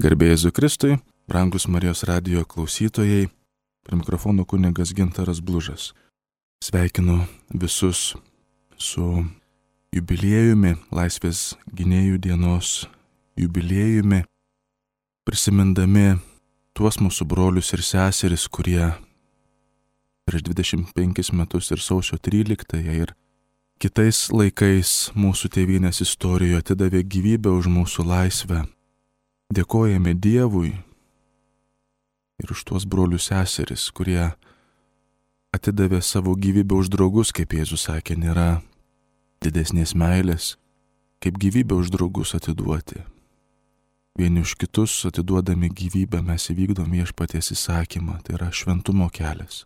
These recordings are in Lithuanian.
Garbė Jėzui Kristui, brangus Marijos radijo klausytojai, prie mikrofono kunigas Gintaras Blužas. Sveikinu visus su jubiliejumi, Laisvės gynėjų dienos jubiliejumi, prisimindami tuos mūsų brolius ir seseris, kurie prieš 25 metus ir sausio 13-ąją ir kitais laikais mūsų tėvynės istorijoje atidavė gyvybę už mūsų laisvę. Dėkojame Dievui ir už tuos brolius seseris, kurie atidavė savo gyvybę už draugus, kaip Jėzus sakė, nėra didesnės meilės, kaip gyvybę už draugus atiduoti. Vieni už kitus atiduodami gyvybę mes įvykdom Viešpaties įsakymą, tai yra šventumo kelias,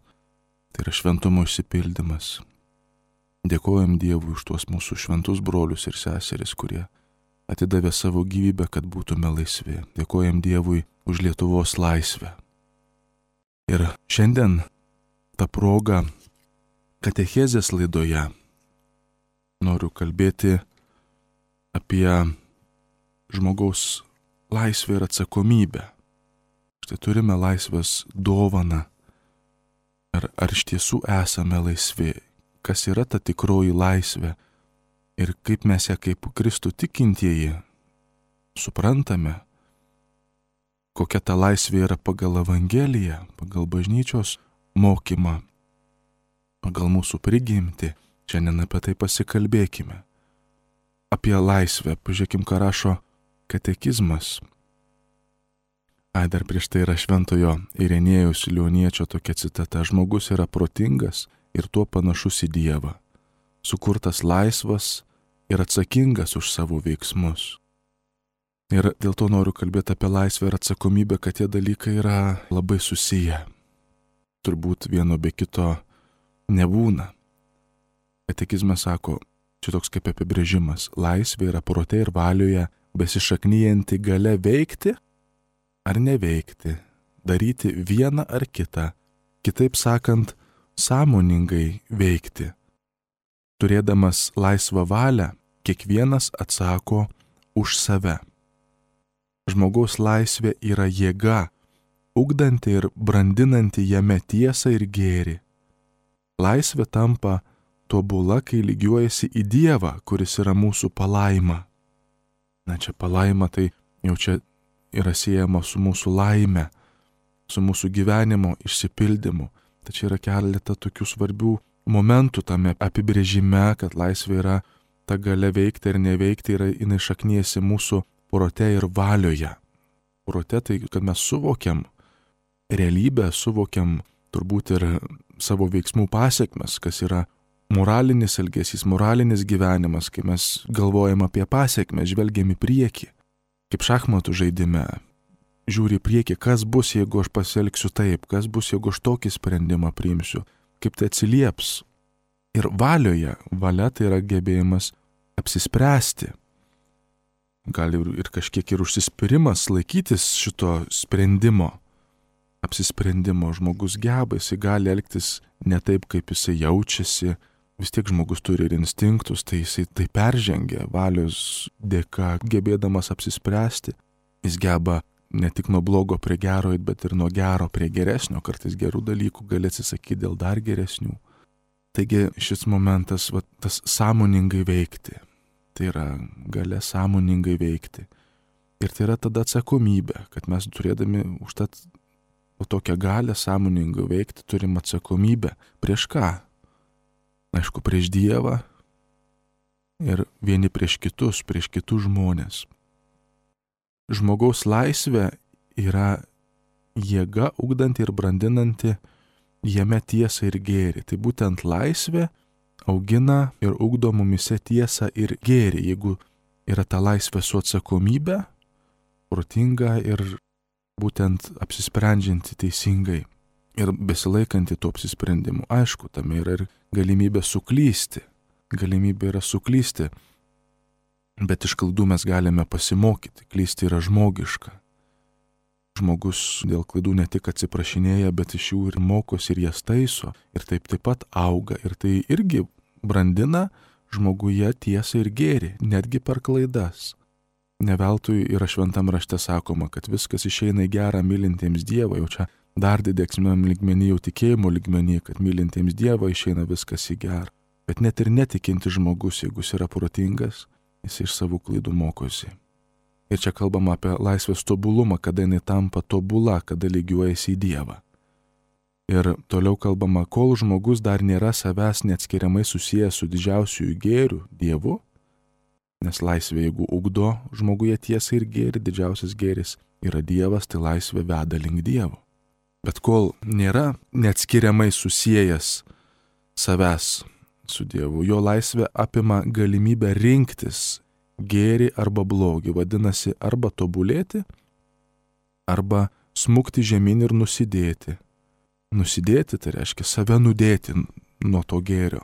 tai yra šventumo išsipildymas. Dėkojam Dievui už tuos mūsų šventus brolius ir seseris, kurie atidavė savo gyvybę, kad būtume laisvi. Dėkojam Dievui už Lietuvos laisvę. Ir šiandien tą progą katechezės laidoje noriu kalbėti apie žmogaus laisvę ir atsakomybę. Štai turime laisvės dovaną. Ar iš tiesų esame laisvi? Kas yra ta tikroji laisvė? Ir kaip mes ją kaip Kristų tikintieji suprantame, kokia ta laisvė yra pagal Evangeliją, pagal bažnyčios mokymą, pagal mūsų prigimtį. Šiandien apie tai pasikalbėkime. Apie laisvę, pažiūrėkim, ką rašo katekizmas. Dar prieš tai yra šventojo Irenėjaus Lioniečio tokia citata: žmogus yra protingas ir tuo panašus į Dievą, sukurtas laisvas ir atsakingas už savo veiksmus. Ir dėl to noriu kalbėti apie laisvę ir atsakomybę, kad tie dalykai yra labai susiję. Turbūt vieno be kito nebūna. Katekizme sako, čia toks kaip apibrėžimas: laisvė yra prote ir valioje besišaknyjanti galia veikti ar neveikti, daryti vieną ar kitą, kitaip sakant, sąmoningai veikti. Turėdamas laisvą valią, kiekvienas atsako už save. Žmogaus laisvė yra jėga, ugdanti ir brandinanti jame tiesą ir gėrį. Laisvė tampa tobula, kai lygiuojasi į Dievą, kuris yra mūsų palaima. Čia palaima tai jau čia yra siejama su mūsų laime, su mūsų gyvenimo išsipildymu. Tačiau yra keletą tokių svarbių momentų tame apibrėžime, kad laisvė yra ta galia veikti ir neveikti, yra jinai šakniesi mūsų prote ir valioje. Prote tai, kad mes suvokiam realybę, suvokiam turbūt ir savo veiksmų pasiekmes, kas yra moralinis elgesys, moralinis gyvenimas, kai mes galvojam apie pasiekmes, žvelgiam į priekį. Kaip šachmatų žaidime, žiūri į priekį, kas bus, jeigu aš pasielgsiu taip, kas bus, jeigu aš tokį sprendimą priimsiu, kaip tai atsilieps. Ir valioje, valia tai yra gebėjimas apsispręsti. Gali ir kažkiek ir užsispyrimas laikytis šito sprendimo, apsisprendimo. Žmogus geba, jisai gali elgtis ne taip, kaip jisai jaučiasi. Vis tiek žmogus turi ir instinktus, tai jisai tai peržengia valios dėka, gebėdamas apsispręsti. Jis geba ne tik nuo blogo prie gero, bet ir nuo gero prie geresnio. Kartais gerų dalykų gali atsisakyti dėl dar geresnių. Taigi šis momentas, tas sąmoningai veikti, tai yra galia sąmoningai veikti. Ir tai yra tada atsakomybė, kad mes turėdami užtat tokią galią sąmoningai veikti, turim atsakomybę. Prieš ką? Aišku, prieš Dievą ir vieni prieš kitus žmonės. Žmogaus laisvė yra jėga ugdanti ir brandinanti jame tiesą ir gėrį. Tai būtent laisvė augina ir ugdo mumise tiesą ir gėrį. Jeigu yra ta laisvė su atsakomybė, protinga ir būtent apsisprendžianti teisingai ir besilaikanti tų apsisprendimų. Aišku, tame yra ir galimybė suklysti. Galimybė yra suklysti. Bet iš klaidų mes galime pasimokyti. Klysti yra žmogiška. Žmogus dėl klaidų ne tik atsiprašinėja, bet iš jų ir mokosi ir jas taiso. Ir taip pat auga. Ir tai irgi brandina žmoguje tiesą ir gėrį, netgi per klaidas. Ne veltui yra šventam rašte sakoma, kad viskas išeina į gerą mylintiems Dievą, jau čia dar didesniam lygmenį, jau tikėjimo lygmenį, kad mylintiems Dievą išeina viskas į gerą. Bet net ir netikintis žmogus, jeigu jis yra protingas, jis iš savų klaidų mokosi. Ir čia kalbama apie laisvės tobulumą, kada jinai tampa tobula, kada lygiuojasi į Dievą. Ir toliau kalbama, kol žmogus dar nėra savęs neatskiriamai susijęs su didžiausiu gėriu, Dievu, nes laisvė, jeigu ugdo žmoguje tiesą ir gėrį, didžiausias gėris yra Dievas, tai laisvė veda link Dievo. Bet kol nėra neatskiriamai susijęs savęs su Dievu, jo laisvė apima galimybę rinktis gėrį arba blogį, vadinasi, arba tobulėti, arba smukti žemyn ir nusidėti. Nusidėti tai reiškia save nudėti nuo to gėrio.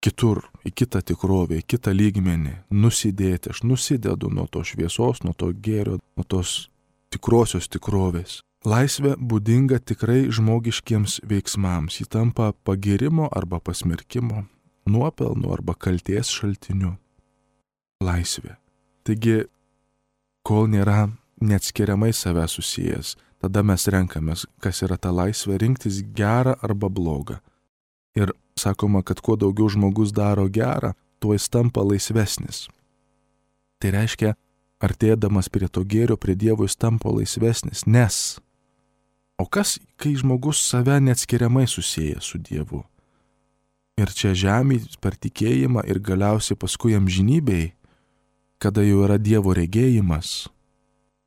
Kitur, į kitą tikrovę, į kitą lygmenį, nusidėti. Aš nusidedu nuo to šviesos, nuo to gėrio, nuo tos tikrosios tikrovės. Laisvė būdinga tikrai žmogiškiems veiksmams. Ji tampa pagirimo arba pasmerkimo, nuopelno arba kaltės šaltiniu. Laisvė. Taigi, kol nėra neatskiriamai save susijęs, tada mes renkamės, kas yra ta laisvė, rinktis gerą arba blogą. Ir sakoma, kad kuo daugiau žmogus daro gerą, tuo jis tampa laisvesnis. Tai reiškia, artėdamas prie to gėrio, prie Dievo jis tampa laisvesnis, nes. O kas, kai žmogus save neatskiriamai susieja su Dievu? Ir čia žemėje per tikėjimą ir galiausiai paskui amžinybėj, kada jau yra Dievo regėjimas,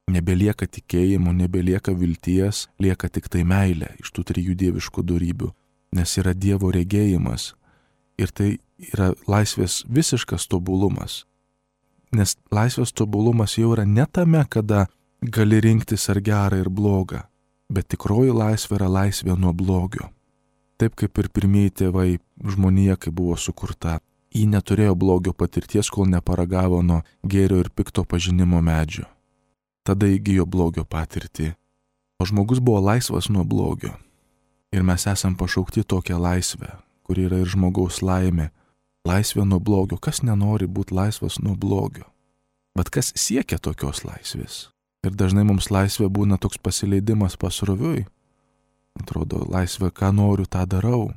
nebelieka tikėjimo, nebelieka vilties, lieka tik tai meilė iš tų trijų dieviškų dorybių. Nes yra Dievo regėjimas ir tai yra laisvės visiškas tobulumas. Nes laisvės tobulumas jau yra ne tame, kada gali rinktis ar gerą ir blogą, bet tikroji laisvė yra laisvė nuo blogio. Taip kaip ir pirmieji tėvai žmonija, kai buvo sukurta, ji neturėjo blogio patirties, kol neparagavo nuo gėrio ir pikto pažinimo medžio. Tada įgijo blogio patirtį, o žmogus buvo laisvas nuo blogio. Ir mes esam pašaukti tokią laisvę, kuri yra ir žmogaus laimė. Laisvė nuo blogio. Kas nenori būti laisvas nuo blogio? Bet kas siekia tokios laisvės? Ir dažnai mums laisvė būna toks pasileidimas pasroviui. Atrodo, laisvė, ką noriu, tą darau.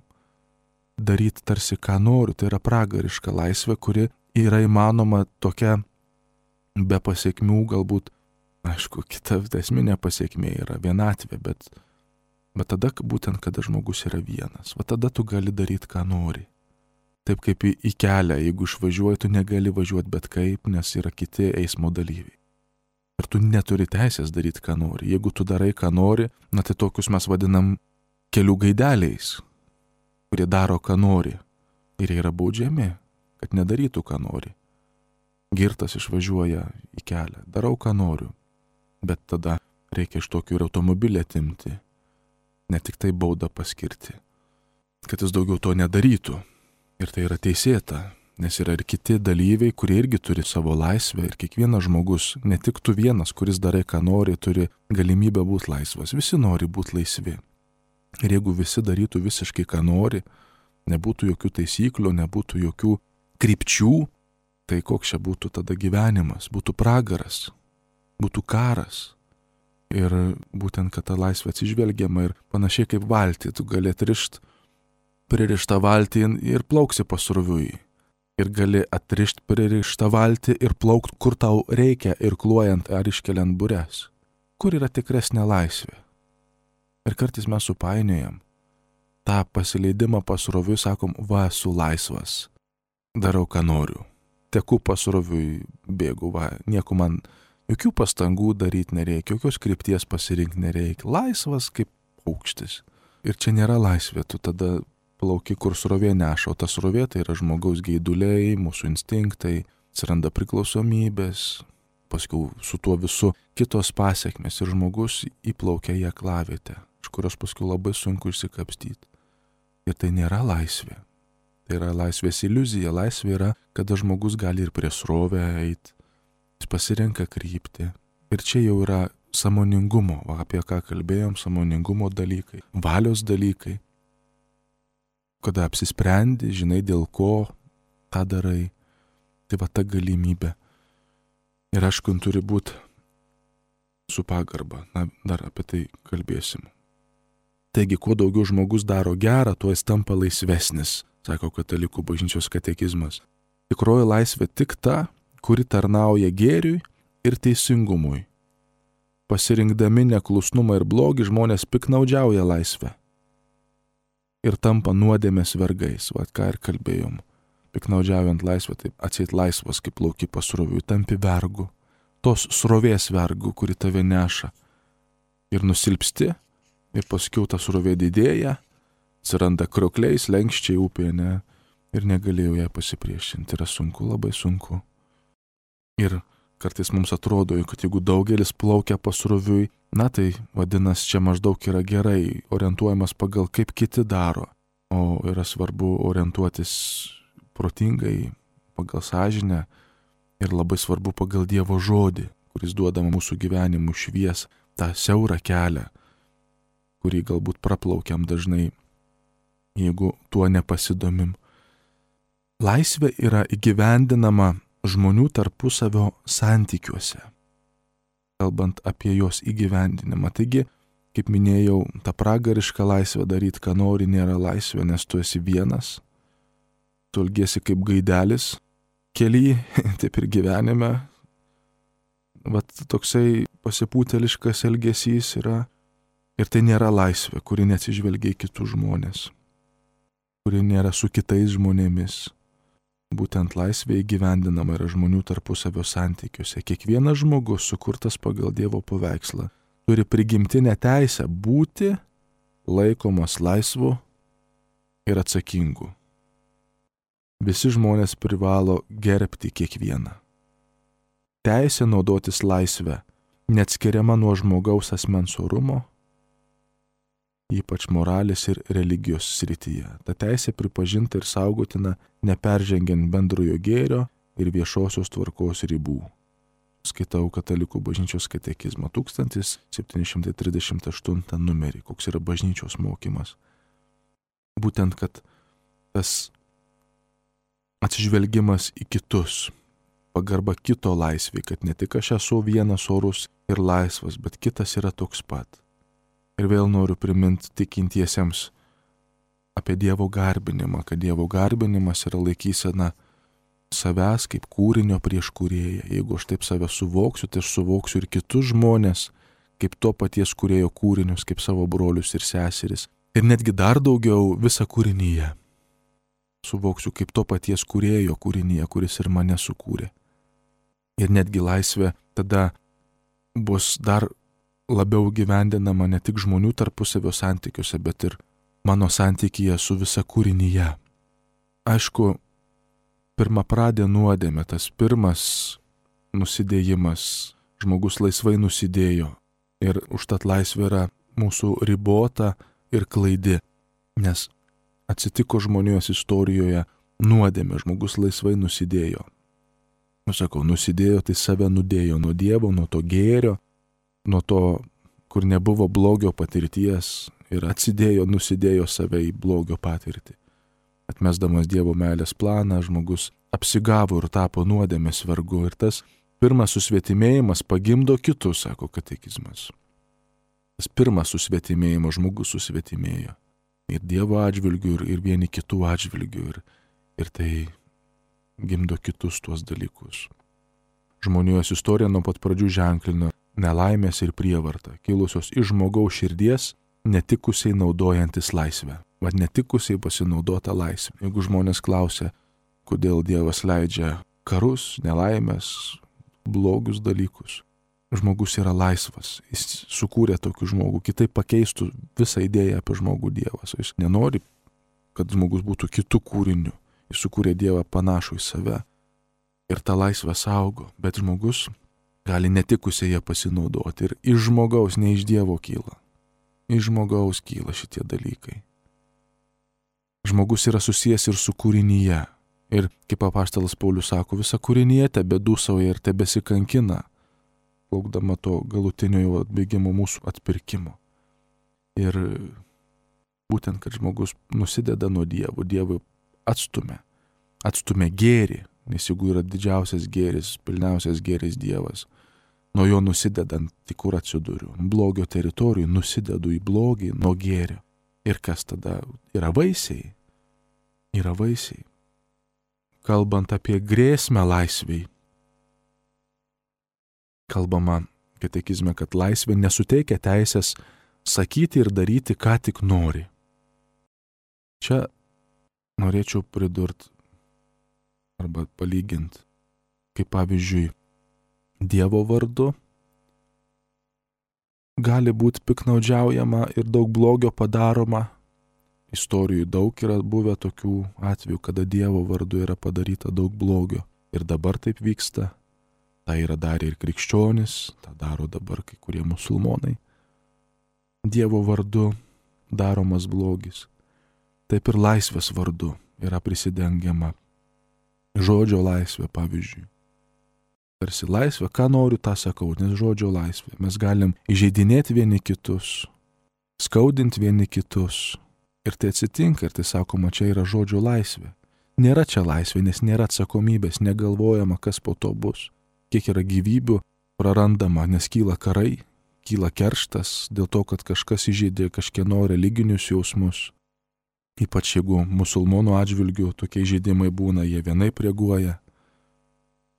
Daryti tarsi, ką noriu, tai yra pragariška laisvė, kuri yra įmanoma tokia be pasiekmių, galbūt, aišku, kita esminė pasiekmė yra vienatvė, bet tada būtent, kada žmogus yra vienas, va tada tu gali daryti, ką nori. Taip kaip į kelią, jeigu išvažiuoji, tu negali važiuoti bet kaip, nes yra kiti eismo dalyviai. Ir tu neturi teisės daryti, ką nori. Jeigu tu darai, ką nori, tai tokius mes vadinam kelių gaideliais, kurie daro, ką nori. Ir jie yra baudžiami, kad nedarytų, ką nori. Girtas išvažiuoja į kelią, darau, ką noriu. Bet tada reikia iš tokių ir automobilį atimti. Ne tik tai baudą paskirti, kad jis daugiau to nedarytų. Ir tai yra teisėta, nes yra ir kiti dalyviai, kurie irgi turi savo laisvę ir kiekvienas žmogus, ne tik tu vienas, kuris darai, ką nori, turi galimybę būti laisvas. Visi nori būti laisvi. Ir jeigu visi darytų visiškai, ką nori, nebūtų jokių taisyklių, nebūtų jokių krypčių, tai koks čia būtų tada gyvenimas, būtų pragaras, būtų karas. Ir būtent, kad ta laisvė atsižvelgiama ir panašiai kaip valtį, tu gali pririštą valtį ir plauksi pasroviui. Ir gali atrišti pririštą valtį ir plaukti, kur tau reikia, irkluojant ar iškeliant bures. Kur yra tikresnė laisvė? Ir kartais mes supainiojam tą pasileidimą pasroviui, sakom, va, esu laisvas, darau, ką noriu. Teku pasroviui, bėgu, va, nieko man... Jokių pastangų daryti nereikia, jokios krypties pasirinkti nereikia. Laisvas kaip paukštis. Ir čia nėra laisvė, tu tada plauki, kur srovė neša, o ta srovė tai yra žmogaus geiduliai, mūsų instinktai, atsiranda priklausomybės, paskui su tuo visu kitos pasiekmes ir žmogus įplaukia į aklavietę, iš kurios paskui labai sunku išsikapstyti. Ir tai nėra laisvė. Tai yra laisvės iliuzija. Laisvė yra, kada žmogus gali ir prie srovę eiti. Jis pasirenka kryptį. Ir čia jau yra sąmoningumo, apie ką kalbėjom, sąmoningumo dalykai, valios dalykai. Kada apsisprendi, žinai dėl ko tą darai, tai va ta galimybė. Ir aišku, turi būti su pagarba. Na, dar apie tai kalbėsim. Taigi, kuo daugiau žmogus daro gerą, tuo jis tampa laisvesnis, sako Katalikų bažnyčios katekizmas. Tikroji laisvė tik ta, kuri tarnauja gėriui ir teisingumui. Pasirinkdami neklusnumą ir blogį žmonės piknaudžiauja laisvę ir tampa nuodėmės vergais, ką ir kalbėjom. Piknaudžiaujant laisvę, taip atseit laisvas kaip plauki pasroviui, tampi vergu, tos srovės vergu, kuri tave neša. Ir nusilpsti, ir paskiau ta srovė didėja, atsiranda kriokliai, slenkščiai upėje, ne, ir negalėjau ją pasipriešinti. Yra sunku, labai sunku. Ir kartais mums atrodo, kad jeigu daugelis plaukia pasroviui, na tai vadinasi, čia maždaug yra gerai, orientuojamas pagal kaip kiti daro, o yra svarbu orientuotis protingai, pagal sąžinę ir labai svarbu pagal Dievo žodį, kuris duoda mūsų gyvenimų švies, tą siaurą kelią, kurį galbūt praplaukiam dažnai, jeigu tuo nepasidomim. Laisvė yra įgyvendinama žmonių tarpusavio santykiuose, kalbant apie jos įgyvendinimą. Taigi, kaip minėjau, ta pragariška laisvė daryti, ką nori, nėra laisvė, nes tu esi vienas, tu elgiesi kaip gaidelis kely, taip ir gyvenime. Vat toksai pasipūteliškas elgesys yra, ir tai nėra laisvė, kuri neatsižvelgia į kitus žmonės, kuri nėra su kitais žmonėmis. Būtent laisvė įgyvendinama yra žmonių tarpusavio santykiuose. Kiekvienas žmogus, sukurtas pagal Dievo paveikslą, turi prigimtinę teisę būti laikomas laisvu ir atsakingu. Visi žmonės privalo gerbti kiekvieną. Teisė naudotis laisvę neatskiriama nuo žmogaus asmens orumo, ypač moralės ir religijos srityje. Ta teisė pripažinta ir saugotina neperžengiant bendrojo gėrio ir viešosios tvarkos ribų. Skaitau Katalikų bažnyčios katekizmą 1738 numerį, koks yra bažnyčios mokymas. Būtent, kad tas atsižvelgimas į kitus, pagarba kito laisvė, kad ne tik aš esu vienas orus ir laisvas, bet kitas yra toks pat. Ir vėl noriu priminti tikintiesiems apie Dievo garbinimą, kad Dievo garbinimas yra laikysena savęs kaip kūrinio prieš kūrėją. Jeigu aš taip save suvoksiu, tai aš suvoksiu ir kitus žmonės kaip to paties kūrėjo kūrinius, kaip savo brolius ir seseris. Ir netgi dar daugiau visą kūrinyje. Suvoksiu kaip to paties kūrėjo kūrinyje, kuris ir mane sukūrė. Ir netgi laisvė tada bus dar labiau gyvendinama ne tik žmonių tarpusavio santykiuose, bet ir mano santykyje su visa kūrinyje. Aišku, pirmapradė nuodėmė, tas pirmas nusidėjimas, žmogus laisvai nusidėjo ir užtat laisvė yra mūsų ribota ir klaidi, nes atsitiko žmonijos istorijoje nuodėmė, žmogus laisvai nusidėjo. Sakau, nusidėjo, tai save nudėjo nuo Dievo, nuo to gėrio, nuo to, kur nebuvo blogio patirties ir atsidėjo, nusidėjo save į blogio patirtį. Atmesdamas Dievo meilės planą, žmogus apsigavo ir tapo nuodėmės vergu. Ir tas pirmas susvetimėjimas pagimdo kitus, sako katekizmas. Tas pirmas susvetimėjimas, žmogus susvetimėjo. Ir Dievo atžvilgių, ir vieni kitų atžvilgių. Ir tai gimdo kitus tuos dalykus. Žmonijos istorija nuo pat pradžių ženklino nelaimės ir prievartą, kilusios iš žmogaus širdies, netikusiai naudojantis laisvę. Vat netikusiai pasinaudota laisvė. Jeigu žmonės klausia, kodėl Dievas leidžia karus, nelaimės, blogius dalykus, žmogus yra laisvas. Jis sukūrė tokį žmogų, kitaip pakeistų visą idėją apie žmogų Dievas. Jis nenori, kad žmogus būtų kitų kūrinių. Jis sukūrė Dievą panašų į save. Ir tą laisvę saugo, bet žmogus gali netikusiai ją pasinaudoti. Ir iš žmogaus, ne iš Dievo kyla. Iš žmogaus kyla šitie dalykai. Žmogus yra susijęs ir su kūrinyje. Ir kaip apaštalas Paulius sako, visa kūrinyje tebedūsauja ir tebesikankina, laukdama to galutinio jau atbėgimo mūsų atpirkimo. Ir būtent, kad žmogus nusideda nuo Dievo, Dievui atstumia gėrį, Nes jeigu yra didžiausias gėris, pilniausias gėris Dievas, nuo jo nusidedant, tai kur atsiduriu? Blogio teritorijų nusidedu į blogį nuo gėrio. Ir kas tada? Yra vaisiai. Yra vaisiai. Kalbant apie grėsmę laisvei, kalbama katekizme, kad laisvė nesuteikia teisės sakyti ir daryti, ką tik nori. Čia norėčiau pridurti arba palyginti, kaip pavyzdžiui, Dievo vardu gali būti piknaudžiaujama ir daug blogio padaroma. Istorijų daug yra buvę tokių atvejų, kada Dievo vardu yra padaryta daug blogio. Ir dabar taip vyksta. Tai yra darę ir krikščionis, tą daro dabar kai kurie musulmonai. Dievo vardu daromas blogis. Taip ir laisvės vardu yra prisidengiama. Žodžio laisvė, pavyzdžiui. Tarsi laisvė, ką noriu, tą sakau, nes žodžio laisvė. Mes galim įžeidinėti vieni kitus, skaudinti vieni kitus. Ir tai atsitinka, ir tai sakoma, čia yra žodžio laisvė. Nėra čia laisvė, nes nėra atsakomybės, negalvojama, kas po to bus. Kiek yra gyvybių prarandama, nes kyla karai, kyla kerštas dėl to, kad kažkas įžeidė kažkieno religinius jausmus. Ypač jeigu musulmonų atžvilgių tokie įžeidimai būna, jie vienaip reaguoja.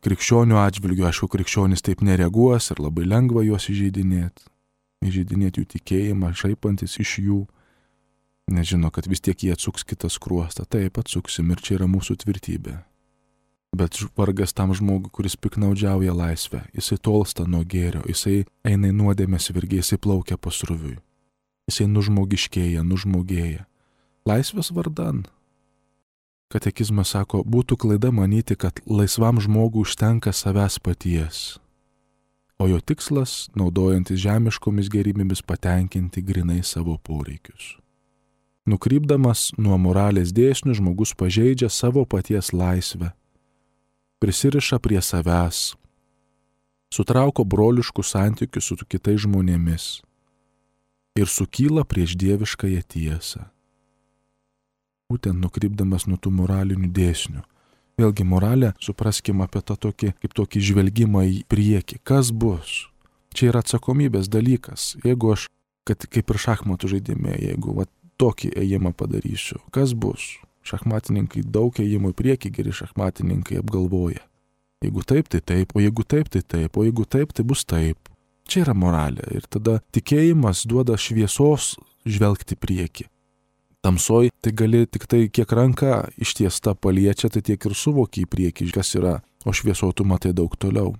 Krikščionių atžvilgių, aišku, krikščionis taip nereaguos ir labai lengva juos įžeidinėti. Įžeidinėti jų tikėjimą, šaipantis iš jų. Nežino, kad vis tiek jie atsuks kitą skruostą. Taip, atsuksim ir čia yra mūsų tvirtybė. Bet vargas tam žmogui, kuris piknaudžiauja laisvę. Jisai tolsta nuo gėrio, jisai eina į nuodėmės virgį, jisai plaukia pasroviui. Jisai nužmogiškėja, nužmogėja. Laisvės vardan. Katekizmas sako, būtų klaida manyti, kad laisvam žmogui užtenka savęs paties, o jo tikslas, naudojantis žemiškomis gerybėmis, patenkinti grinai savo poreikius. Nukrypdamas nuo moralės dėsnių, žmogus pažeidžia savo paties laisvę, prisiriša prie savęs, sutrauko broliškus santykius su kitais žmonėmis ir sukyla prieš dieviškąją tiesą. Būtent nukrypdamas nuo tų moralinių dėsnių. Vėlgi moralė, supraskim apie tą tokį, kaip tokį žvelgimą į priekį. Kas bus? Čia yra atsakomybės dalykas. Jeigu aš, kad kaip ir šachmatų žaidime, jeigu tokį ėjimą padarysiu, kas bus? Šachmatininkai daug ėjimų į priekį, geri šachmatininkai apgalvoja. Jeigu taip, tai taip, o jeigu taip, tai taip, o jeigu taip, tai bus taip. Čia yra moralė. Ir tada tikėjimas duoda šviesos žvelgti priekį. Tamsoj tai gali tik tai, kiek ranka ištiesta paliečia, tai tiek ir suvoki į priekį, kas yra, o švieso tu matai daug toliau.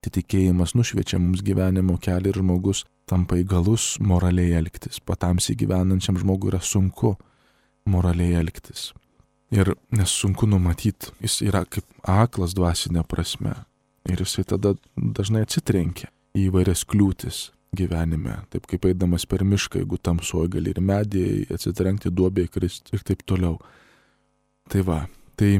Tai tikėjimas nušviečia mums gyvenimo kelią ir žmogus tampa įgalus moraliai elgtis. Patamsiai gyvenančiam žmogui yra sunku moraliai elgtis. Ir nes sunku numatyti, jis yra kaip aklas dvasinė prasme. Ir jisai tada dažnai atsitrenkia į įvairias kliūtis gyvenime, taip kaip eidamas per mišką, jeigu tamsuoja, gali ir medį atsitrenkti, duobę įkristi ir taip toliau. Tai va, tai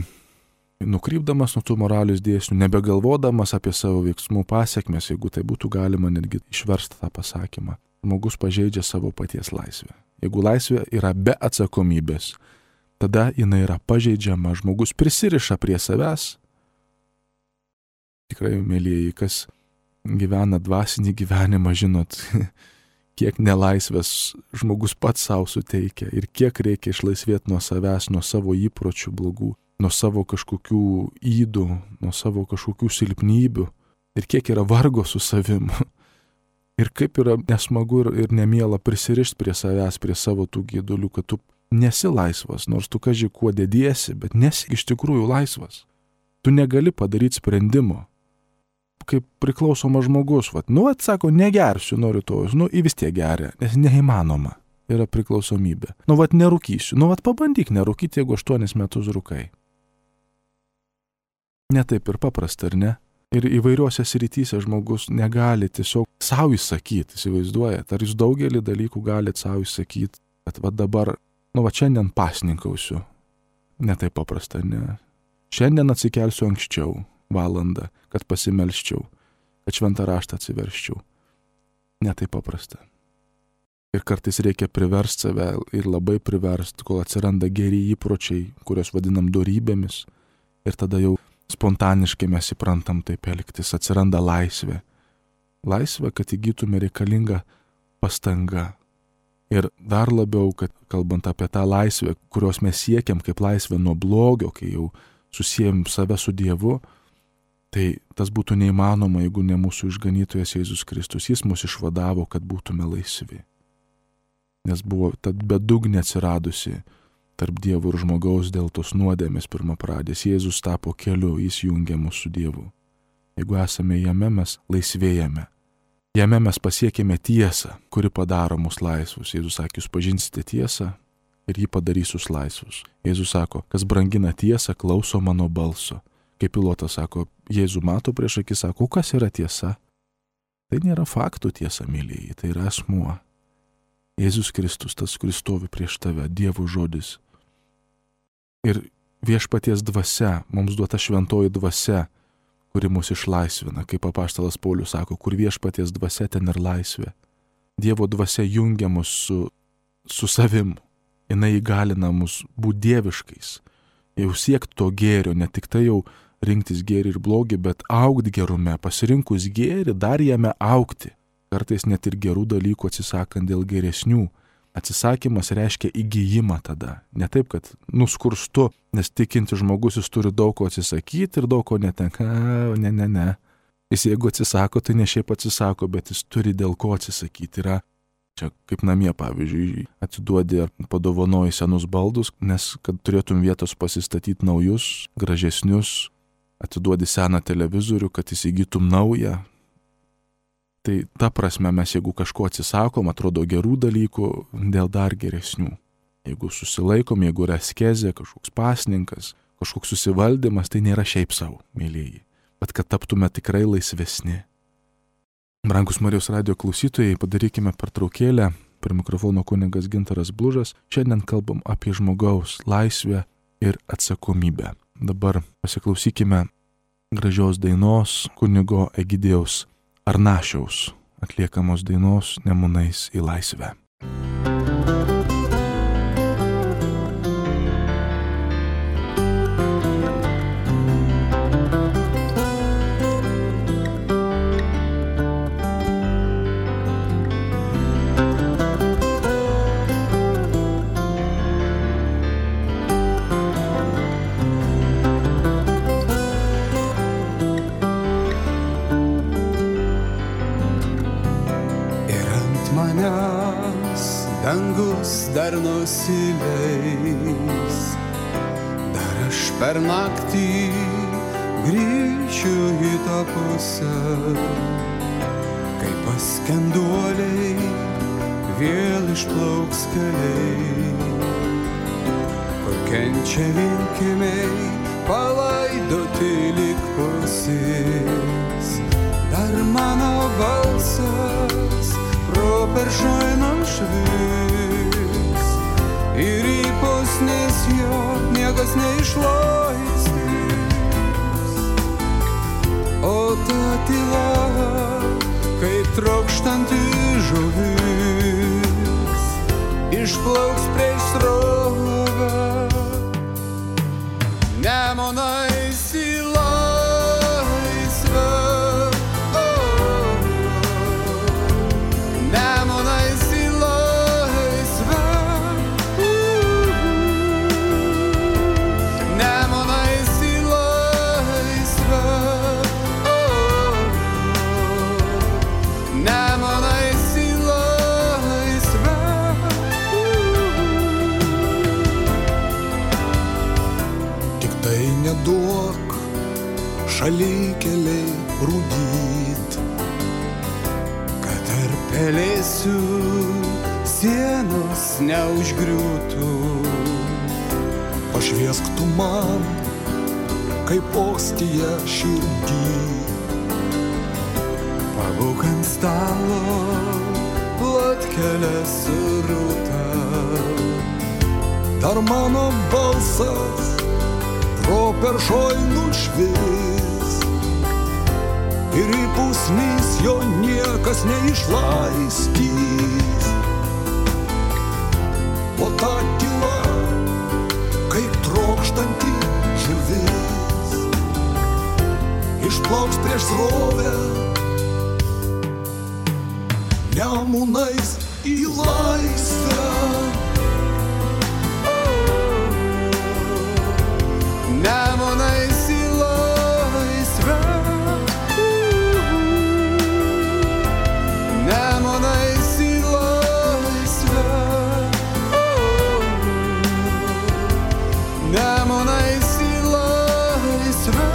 nukrypdamas nuo tų moralės dėsnių, nebegalvodamas apie savo veiksmų pasiekmes, jeigu tai būtų galima netgi išversti tą pasakymą, žmogus pažeidžia savo paties laisvę. Jeigu laisvė yra be atsakomybės, tada jinai yra pažeidžiama, žmogus prisiriša prie savęs. Tikrai, mėlyjeji, kas gyvena dvasinį gyvenimą, žinot, kiek nelaisvės žmogus pats savo suteikia ir kiek reikia išlaisvėti nuo savęs, nuo savo įpročių blogų, nuo savo kažkokių ydų, nuo savo kažkokių silpnybių ir kiek yra vargo su savim. Ir kaip yra nesmagu ir nemiela prisirišti prie savęs, prie savo tų gėdulių, kad tu nesi laisvas, nors tu kaži kuo dediesi, bet nesi iš tikrųjų laisvas. Tu negali padaryti sprendimo. Kaip priklausomas žmogus, sako, negersiu nuo rytojus, vis tiek geria, nes neįmanoma, yra priklausomybė. Nerūkysiu, pabandyk nerūkyti, jeigu 8 metus rūkai. Ne taip ir paprasta, ar ne? Ir įvairiuose srityse žmogus negali tiesiog savo įsakyti, įsivaizduojat, ar jūs daugelį dalykų galite savo įsakyti, kad dabar, šiandien pasninkausiu. Ne taip paprasta, ne. Šiandien atsikelsiu anksčiau, valandą, kad pasimelščiau, kad šventą raštą atsiverščiau. Ne taip paprasta. Ir kartais reikia priversti save ir labai priversti, kol atsiranda geri įpročiai, kurios vadinam dorybėmis. Ir tada jau spontaniškai mes įprantam taip elgtis, atsiranda laisvė. Laisvė, kad įgytume reikalinga pastanga. Ir dar labiau, kad kalbant apie tą laisvę, kurios mes siekiam kaip laisvę nuo blogio, kai jau susijęm save su Dievu, tai tas būtų neįmanoma, jeigu ne mūsų išganytojas Jėzus Kristus. Jis mus išvadavo, kad būtume laisvi. Nes buvo ta bedugnė atsiradusi tarp Dievo ir žmogaus dėl tos nuodėmės pirmapradės. Jėzus tapo keliu, jis jungia mus su Dievu. Jeigu esame jame, mes laisvėjame. Jame mes pasiekėme tiesą, kuri padaro mus laisvus. Jėzus sakė, jūs pažinsite tiesą ir jį padarys jūs laisvus. Jėzus sako, kas brangina tiesą, klauso mano balso. Kaip Pilotas sako, Jėzų mato prieš akis, sako, kas yra tiesa? Tai nėra faktų tiesa, mylėjai, tai yra asmuo. Jėzus Kristus, tas, kuris stovi prieš tave, Dievo žodis. Ir viešpaties dvasia, mums duota šventoji dvasia, kuri mus išlaisvina, kaip apaštalas Paulius sako, kur viešpaties dvasia, ten ir laisvė. Dievo dvasia jungia mus su savim, jinai įgalina mus būti dieviškais, jau siekti to gėrio, ne tik tai jau rinktis gėrį ir blogį, bet augti gerume, pasirinkus gėrį, dar jame augti. Kartais net ir gerų dalykų atsisakant dėl geresnių. Atsisakymas reiškia įgijimą tada. Ne taip, kad nuskurstu, nes tikinti žmogus jis turi daug ko atsisakyti ir daug ko netenka. Ne. Jis jeigu atsisako, tai ne šiaip atsisako, bet jis turi dėl ko atsisakyti. Yra čia kaip namie, pavyzdžiui, atiduodi ar padovanoji senus baldus, nes kad turėtum vietos pasistatyti naujus, gražesnius, atiduodi seną televizorių, kad įsigytum naują. Tai ta prasme mes, jeigu kažko atsisakom, atrodo gerų dalykų, dėl dar geresnių. Jeigu susilaikom, jeigu yra askezė, kažkoks pasninkas, kažkoks susivaldymas, tai nėra šiaip savo, mylėjai, bet kad taptume tikrai laisvesni. Brangus Marijos radijo klausytojai, padarykime pertraukėlę. Prie mikrofono kunigas Gintaras Blužas. Šiandien kalbam apie žmogaus laisvę ir atsakomybę. Dabar pasiklausykime gražios dainos kunigo Egidijaus Arnašiaus atliekamos dainos Nemunais į laisvę. Dangus dar nusileis, dar aš per naktį grįšiu į tą pusę, kai paskenduoliai vėl išplauks keliai, kur kenčia linkimiai palaidoti lyg pusis. Dar mano balsas properšoj nušvis ir į pusnis jo niekas neišlaistys. O ta tyla, kaip trokštanti žuvis, išplauks prieš srovę. Nemunais į laisvę. Duok šalikeliai rūdyt, kad tarp pelėsių sienos neužgriūtų. Pašviesk tu man, kaip ostija širdį, pabūk ant stalo plotkelę surūtą. Dar mano balsas properšoj nušvis ir į pusnis jo niekas neišlaistys. O ta tyla, kaip trokštanti žuvis, plauks prieš srovę, nemunais į laisvę. Nemunais į laisvę, nemunais į laisvę, nemunais į laisvę.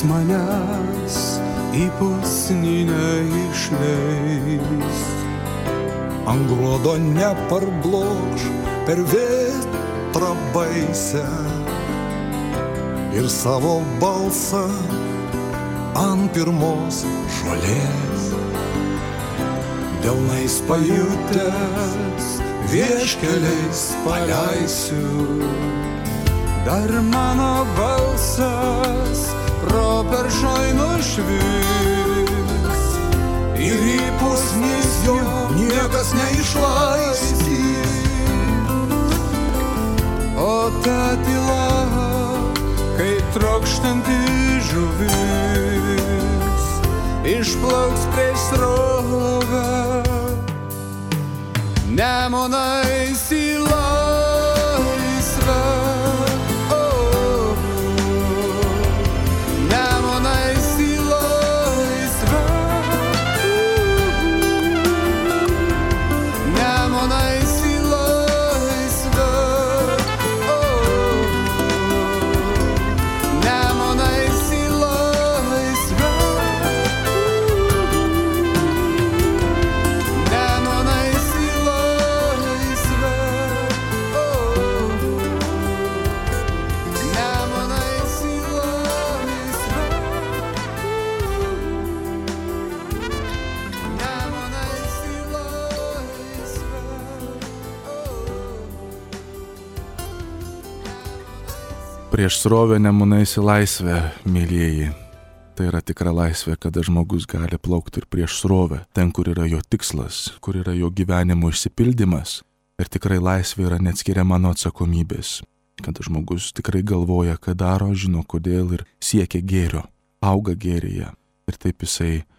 Manęs į pusninę išleis, ant gruodo neparblokš per vėtrą baisę ir savo balsą ant pirmos žolės. Delnais pajutęs vieškeliais paleisiu, dar mano balsas properšoj nušvis ir į pusnis jo niekas neišlaistys. O ta tyla, kaip trokštanti žuvis, išplauks prieš srovę, nemunais į laisvę. Prieš srovę nemunais į laisvę, mėlyjeji. Tai yra tikra laisvė, kada žmogus gali plaukti ir prieš srovę, ten, kur yra jo tikslas, kur yra jo gyvenimo išsipildymas. Ir tikrai laisvė yra neatskiriama nuo atsakomybės. Kada žmogus tikrai galvoja, ką daro, žino kodėl ir siekia gėrio, auga gėryje. Ir taip jisai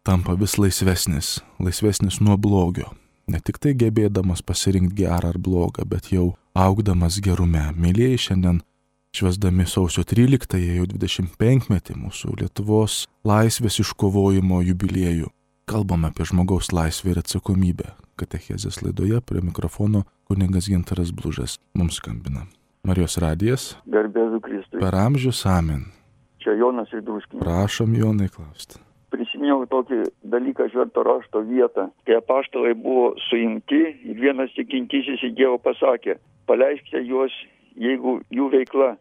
tampa vis laisvesnis nuo blogio. Ne tik tai gebėdamas pasirinkti gerą ar blogą, bet jau augdamas gerume. Mėlyjeji, šiandien švęsdami sausio 13-ąją, jau 25-metį mūsų Lietuvos laisvės iškovojimo jubiliejų, kalbame apie žmogaus laisvę ir atsakomybę. Katechezės laidoje prie mikrofono kunigas Gintaras Blužas mums skambina. Marijos radijas. Garbėzu Kristui. Per amžius amen. Čia Jonas iš Druskininkų. Prašom, Jonai, klausti. Prisiminiau tokį dalyką Švento rašto vietą, kai apaštalai buvo suimti ir vienas tikintysis į Dievą pasakė: paleiskite juos, jeigu jų veikla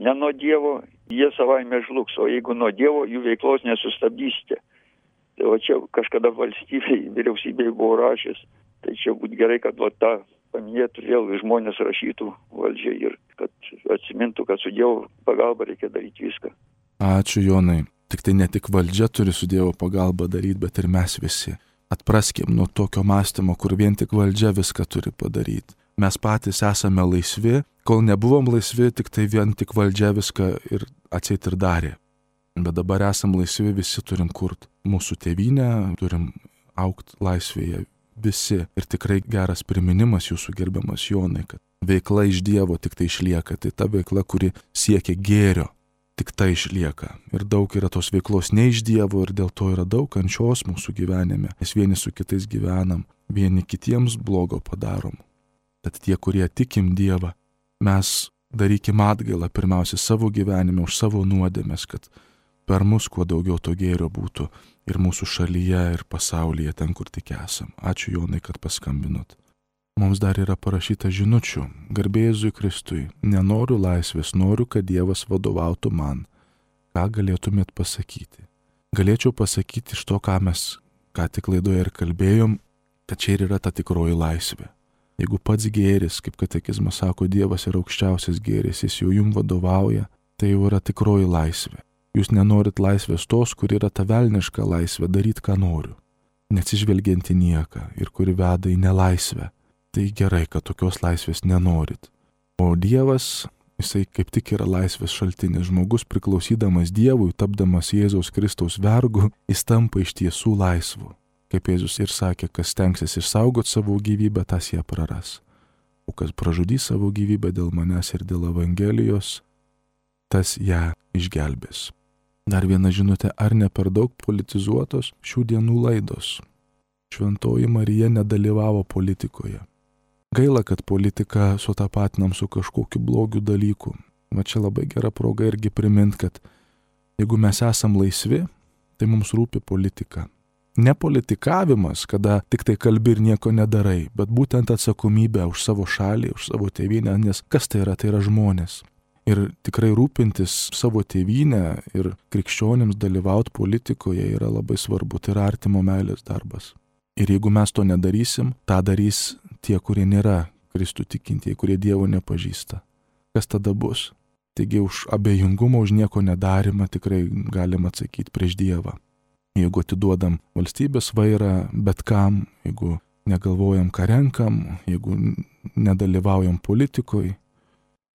ne nuo Dievo, jie savaime žlugs, o jeigu nuo Dievo, jų veiklos nesustabdysite. Tai va čia kažkada vyriausybei buvo rašęs, tai čia būtų gerai, kad va tą paminėtų vėl žmonės rašytų valdžiai ir kad atsimintų, kad su Dievo pagalba reikia daryti viską. Ačiū, Jonai. Tik tai ne tik valdžia turi su Dievo pagalba daryti, bet ir mes visi. Atpraskim nuo tokio mąstymo, kur vien tik valdžia viską turi padaryti. Mes patys esame laisvi, kol nebuvom laisvi, tik tai vien tik valdžia viską ir atseit ir darė. Bet dabar esam laisvi, visi turim kurt mūsų tėvynę, turim augt laisvėje visi. Ir tikrai geras priminimas jūsų, gerbiamas Jonai, kad veikla iš Dievo tik tai išlieka. Tai ta veikla, kuri siekia gėrio, tik tai išlieka. Ir daug yra tos veiklos ne iš Dievo ir dėl to yra daug kančios mūsų gyvenime. Mes vieni su kitais gyvenam, vieni kitiems blogo padarom. Tad tie, kurie tikim Dievą, mes darykim atgailą pirmiausia savo gyvenime už savo nuodėmes, kad per mus kuo daugiau to gėrio būtų ir mūsų šalyje, ir pasaulyje, ten, kur tik esam. Ačiū, Jonai, kad paskambinot. mums dar yra parašyta žinučių. Garbė Jėzui Kristui, nenoriu laisvės, noriu, kad Dievas vadovautų man. Ką galėtumėt pasakyti? Galėčiau pasakyti iš to, ką mes ką tik laidoje ir kalbėjom, kad čia ir yra ta tikroji laisvė. Jeigu pats gėris, kaip katekizmas sako, Dievas yra aukščiausias gėris, jis jau jums vadovauja, tai jau yra tikroji laisvė. Jūs nenorit laisvės tos, kur yra ta velniška laisvė, daryti ką noriu, neatsižvelgiant į nieką ir kuri veda į nelaisvę. Tai gerai, kad tokios laisvės nenorit. O Dievas, jisai kaip tik yra laisvės šaltinis. Žmogus priklausydamas Dievui, tapdamas Jėzaus Kristaus vergu, jis tampa iš tiesų laisvu. Kaip Jėzus ir sakė, kas stengsis išsaugoti savo gyvybę, tas ją praras. O kas pražudys savo gyvybę dėl manęs ir dėl Evangelijos, tas ją išgelbės. Dar viena žinutė, ar ne per daug politizuotos šių dienų laidos? Šventoji Marija nedalyvavo politikoje. Gaila, kad politiką sutapatinam su kažkokiu blogiu dalyku. Va čia labai gera proga irgi primint, kad jeigu mes esam laisvi, tai mums rūpi politika. Ne politikavimas, kada tik tai kalbi ir nieko nedarai, bet būtent atsakomybė už savo šalį, už savo tėvynę, nes kas tai yra žmonės. Ir tikrai rūpintis savo tėvynę ir krikščionims dalyvauti politikoje yra labai svarbu, tai yra artimo meilės darbas. Ir jeigu mes to nedarysim, tą darys tie, kurie nėra Kristų tikintieji, kurie Dievo nepažįsta. Kas tada bus? Taigi už abejingumą, už nieko nedarimą tikrai galim atsakyti prieš Dievą. Jeigu atiduodam valstybės vairą bet kam, jeigu negalvojam, ką renkam, jeigu nedalyvaujam politikoj.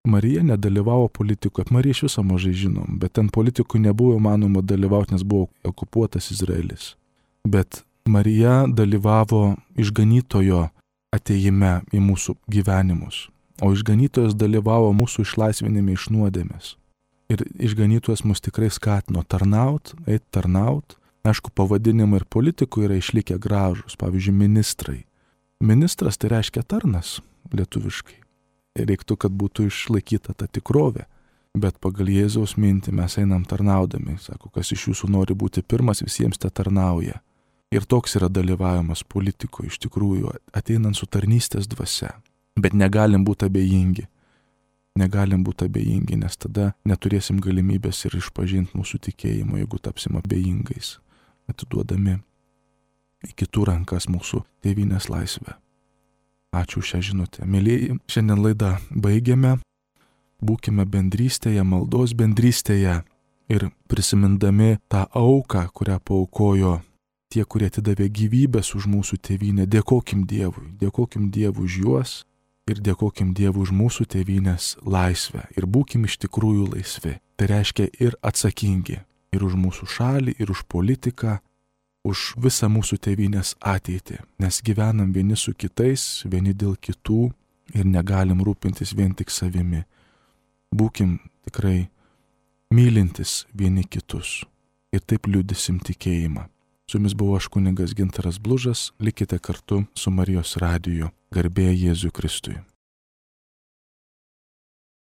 Marija nedalyvavo politikoje, Marija iš viso mažai žinom, bet ten politikui nebuvo manoma dalyvauti, nes buvo okupuotas Izraelis. Bet Marija dalyvavo išganytojo atėjime į mūsų gyvenimus, o išganytojas dalyvavo mūsų išlaisvinime iš nuodėmės. Ir išganytojas mus tikrai skatino tarnaut, eit tarnaut. Aišku, pavadinimai ir politikų yra išlikę gražus, pavyzdžiui, ministrai. Ministras tai reiškia tarnas lietuviškai. Reiktų, kad būtų išlaikyta ta tikrovė, bet pagal Jėzaus mintį mes einam tarnaudami. Sako, kas iš jūsų nori būti pirmas, visiems te tarnauja. Ir toks yra dalyvavimas politikoje, iš tikrųjų, ateinant su tarnystės dvasia. Bet negalim būti abejingi. Negalim būti abejingi, nes tada neturėsim galimybės ir išpažinti mūsų tikėjimo, jeigu tapsim abejingais, atiduodami į kitų rankas mūsų tėvynės laisvę. Ačiū šią žinutę. Mėlyji, šiandien laidą baigiame. Būkime bendrystėje, maldos bendrystėje ir prisimindami tą auką, kurią paaukojo tie, kurie atidavė gyvybės už mūsų tėvynę. Dėkokim Dievui už juos ir dėkokim Dievui už mūsų tėvynės laisvę. Ir būkim iš tikrųjų laisvi. Tai reiškia ir atsakingi. Ir už mūsų šalį, ir už politiką, už visą mūsų tėvynės ateitį. Nes gyvenam vieni su kitais, vieni dėl kitų ir negalim rūpintis vien tik savimi. Būkim tikrai mylintis vieni kitus ir taip liudysim tikėjimą. Su jumis buvo aš kunigas Gintaras Blužas, likite kartu su Marijos radiju. Garbė Jėzui Kristui.